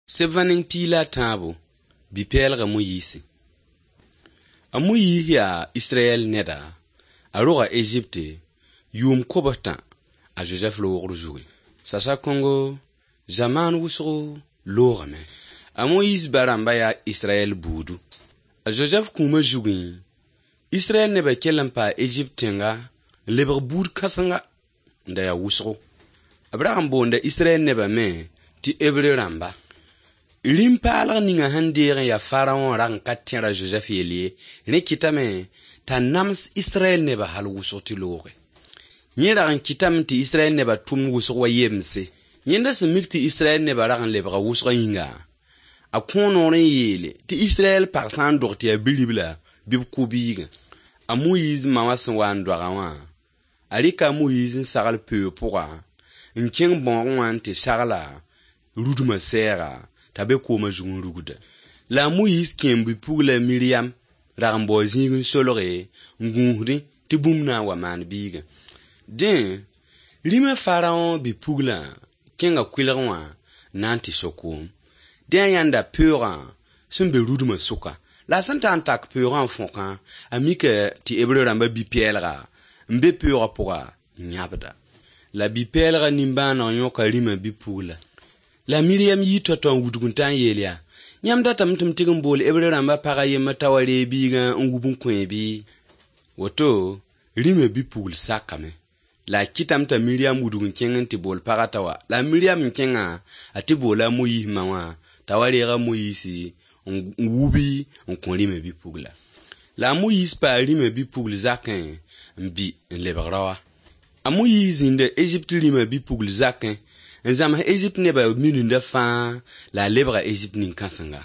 Sebã ning piig la a tãabo, bi-pɛɛlga Moyiisi. A Moyiis yaa Israyɛl neda, a roga Ezipte yʋʋm kobs-tã a Zozɛf roogr zugu. Sasa kõngo, zamaan wʋsgo loogame. A Moyiis ba-rãmba yaa Israyɛl buudu. A Zozɛf kũumã zugẽ, Israyɛl nebã kell n paa Ezipt tẽnga n lebg buud kãsenga n da yaa wʋsgo. B rag n boonda Israyɛl nebã me tɩ Hebre rãmba. Rĩm-paalg ninga sẽn deeg n yaa Faraõ rag n ka tẽra Zozɛf yell ye, rẽ kɩtame t'a nams Israyɛl nebã hal wʋsg tɩ looge. Yẽ rag n kɩtame tɩ Israyɛl nebã tʋmd wʋsg wa yemse. Yẽnda sẽn mik tɩ Israyɛl nebã rag n lebga wʋsgã yĩnga, a kõo noor n yeele tɩ Israyɛl pag sã n dog tɩ yaa bi-ribla bɩ b kʋ biigã. A Moyiis ma wã sẽn wa n doagã wã, a rɩka a Moyiis n sagl peoog pʋga n kẽng bãoogẽ wã n tɩ sagla rudmã sɛɛga t'a be koomã zug n rugda. La a Moyiis kẽem bi-pugla Miriam rag n bao zĩig n solge n gũusdẽ tɩ bũmb na n wa maan biigã. Dẽ, rĩmã Faraõ bi-puglã kẽnga kʋɩlgẽ wã n na n tɩ so koom. Dẽ a yãnda peoogã sẽn be rudmã sʋka. La a sẽn ta n tak peoogã n fõkã, a mika tɩ Hebre rãmba bi-pɛɛlga n be peoogã pʋga n yãbda. La bi-pɛɛlgã nimbãaneg yõka rĩmã bi-pugla. La Miriam yii tao-tao n wudg n ta n yeel yaa: Yãmb datame tɩ m tɩg n bool Hebre rãmba pag a yembr t'a wa reeg biigã n wub n kõ bɩ? Woto, rĩmã bi-pugl sakame. La a kɩtame t'a Miriam wudg n kẽng n tɩ bool pagã t'a wa. La a Miriam n kẽngã, a tɩ boola a Moyiis ma wã t'a wa reeg a Moyiisi n wubi n kõ rĩmã bi-pugla. La a Moyiis paa rĩmã bi-pugl zakẽ n bɩ n lebg raoa. A Moyiis zĩnda Ezipt rĩmã bi-pugl zakẽ n zãms Ezipt nebã mininda fãa la a lebga Ezipt nin-kãsenga.